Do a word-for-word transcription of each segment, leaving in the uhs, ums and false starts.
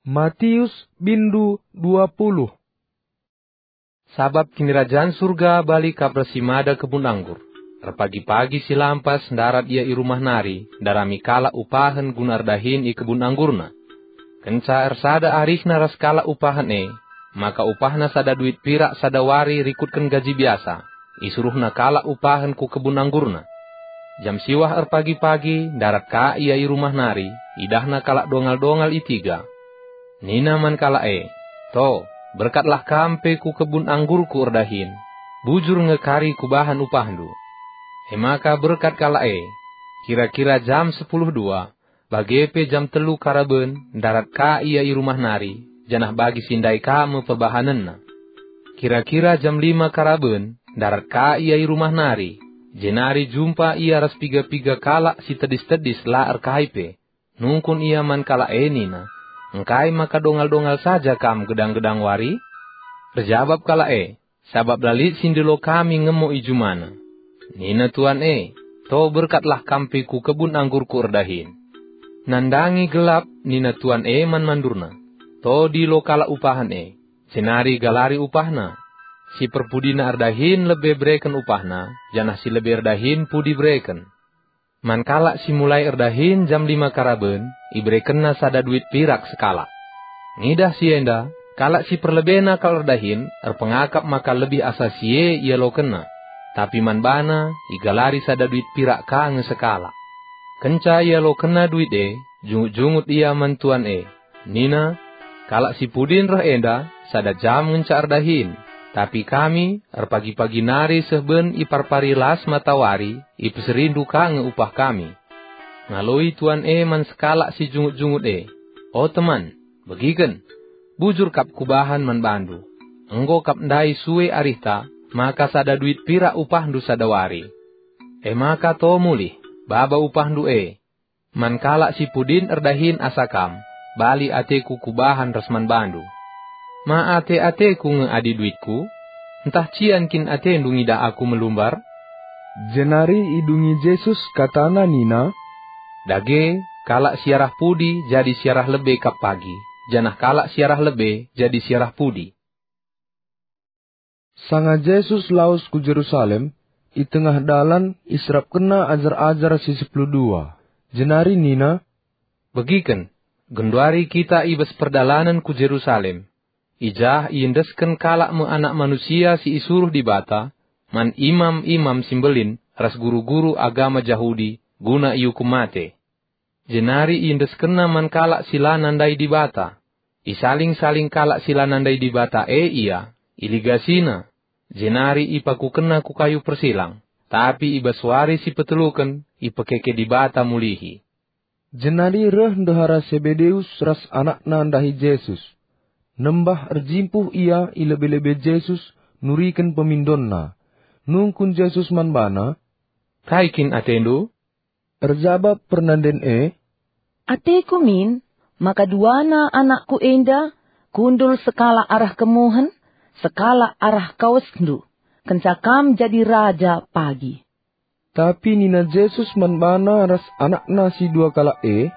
Matius bindu dua puluh. Sabap Kinirajan Surga bali kap ras si mada kebun anggur. Erpagi-pagi si lampas ndarat ia i rumah nari, ndarami kalak upahen guna erdahin i kebun anggurna. Kenca ersada arihna ras kalak upahen e, maka upahna sada duit pirak sada wari rikutken gaji biasa, isuruhna kalak upahen ku kebun anggurna. Jam siwah erpagi-pagi ndarat ka ia i rumah nari, idahna kalak dongal-dongal i tiga. Nina man kalak e, "To, berkatlah kam pe ku kebun anggurku erdahin, bujur nge kari kubahan upahndu." E maka berkat kalak e. Kira-kira jam sepuluh dua, bage pe jam telu karaben, ndarat ka ia i rumah nari, janah bagi si ndai ka me perbahanenna. Kira-kira jam lima karaben, ndarat ka ia i rumah nari, jenari jumpa ia ras piga-piga kalak si tedis-tedis la erkai pe. Nungkun ia man kalak e nina, "Engkai maka dongal-dongal saja kam gedang-gedang wari?" Erjabap kalak e, "Sabap la lit si ndilo kami ngemo i jumana." Nina tuan e, "To berkatlah kam pe ku kebun anggurku erdahin." Nandangi gelap, nina tuan e man mandurna, "To dilo kalak upahen e, jenari galari upahna. Si perpudina erdahin lebe bereken upahna, janah si lebe erdahin pudi bereken." Man kalak si mulai erdahin jam lima karaben, iberekenna sada duit pirak sekalak. Ngidah si enda, kalak si perlebena kal erdahin erpengakap maka lebih asa si e ialokenna. Tapi man bana igalari sada duit pirak ka nge sekalak. Kenca ialokenna duit e, jungut-jungut ia man tuan e. Nina, "Kalak si pudin reh enda sada jam ngenca erdahin, tapi kami erpagi-pagi nari seh ben iparpari las matawari, ipeserindu ka nge upah kami." Ngaloi tuan e man sekalak si jungut-jungut e, "O teman, begiken, bujur kap kubahan man bandu. Enggo kap ndai sue arihta, maka sada duit pirak upahndu sada wari. E maka to mulih, baba upahndu e." Man kalak si pudin erdahin asa kam, bali ateku kubahan ras man bandu. Ma ate-ateku nge adi duitku? Ntah cian kin atendu ngidah aku melumbar? Jenari idungi Jesus katana nina, "Dage, kalak si arah pudi jadi si arah lebe kap pagi, janah kalak si arah lebe jadi si arah pudi." Sanga Jesus lawes ku Jerusalem, i tengah dalan iserapkenna ajar-ajar si sepuluh dua, jenari nina, "Begiken, genduari kita i bas perdalanen ku Jerusalem. I jah iendesken kalak me Anak Manusia si isuruh Dibata man imam-imam si mbelin ras guru-guru agama Jahudi guna iukum mate. Jenari iendeskenna man kalak si la nandai Dibata. Isaling-saling kalak si la nandai Dibata e ia, iligasina, jenari ipakukenna ku kayu persilang, tapi i bas wari si peteluken ipekeke Dibata mulihi." Jenari reh ndehara Sebedeus ras anakna ndahi Jesus. Nembah erjimpuh ia i lebe-lebe Jesus nuriken pemindonna. Nungkun Jesus man bana, "Kai kin atendu?" Erjabap pernanden e, "Ateku min maka duana anakku enda kundul sekalak arah kemuhen, sekalak arah kawesndu, kenca kam jadi raja pagi." Tapi nina Jesus man bana ras anakna si dua kalak e,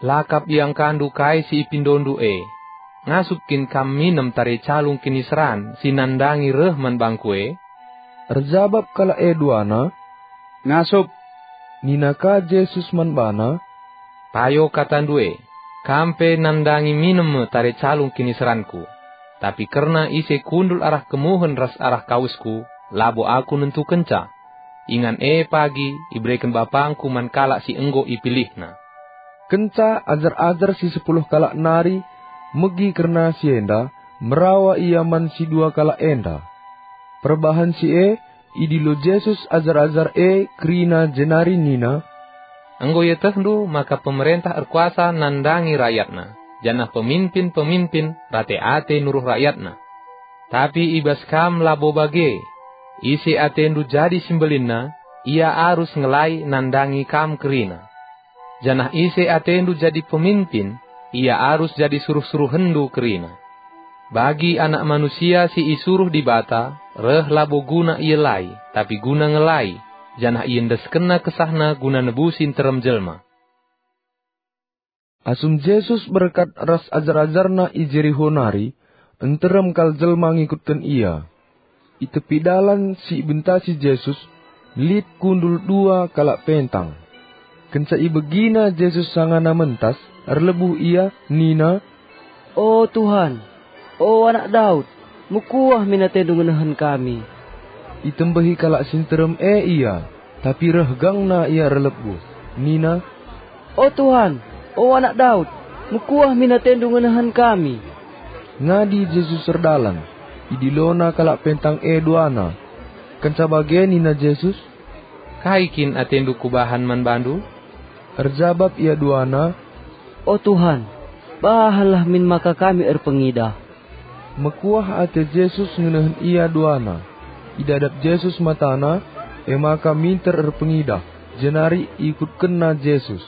"La kap iangkandu kai si ipindondu e. Ngasup kin kam minem tare calung kiniseran si nandangi reh man bangku e?" Erjabap kalak e duana, "Ngasup." Nina ka Jesus man bana, "Payo katandu e, kam pe nandangi minem me tare calung kiniseranKu. Tapi kerna ise kundul arah kemuhen ras arah kawesKu, labo Aku nentukenca. Ingan e pagi ibereken BapangKu man kalak si enggo ipilihNa." Kenca ajar-ajar si sepuluh kalak nari megi kerna si enda, merawa ia man si dua kalak enda. Perbahan si e, idilo Jesus ajar-ajar e kerina jenari nina, "Enggo ietehndu maka pemerentah erkuasa nandangi rayatna, janah peminpin-peminpin rate ate nuruh rayatna. Tapi i bas kam labo bage. Ise atendu jadi si mbelinna, ia arus ngelai nandangi kam kerina. Janah ise atendu jadi peminpin, ia arus jadi suruh-suruhenndu kerina. Bagi Anak Manusia si isuruh Dibata reh labo guna ielai, tapi guna ngelai, janah iendeskenNa kesahNa guna nebusi nterem jelma." Asum Jesus berkat ras ajar-ajarNa i Jeriho nari, nterem kal jelma ngikutken IA. I tepi dalan si ibentasi Jesus, lit kundul dua kalak pentang. Kenca ibegina Jesus sangana mentas, erlebuh ia, nina, "O Tuhan, o Anak Daud, mekuah min atendu ngenehen kami." Itembehi kalak si nterem e ia, tapi reh gangna ia erlebuh, nina, "O Tuhan, o Anak Daud, mekuah min atendu ngenehen kami." Ngadi Jesus erdalan, idilona kalak pentang e duana. Kenca bage nina Jesus, "Kai kin atendu kubahan man bandu?" Erjabap ia duana, "O Tuhan, bahanlah min maka kami erpengidah." Mekuah ate Jesus ngenehen ia duana. Idadap Jesus matana, e maka minter erpengidah, jenari ikutkenna Jesus.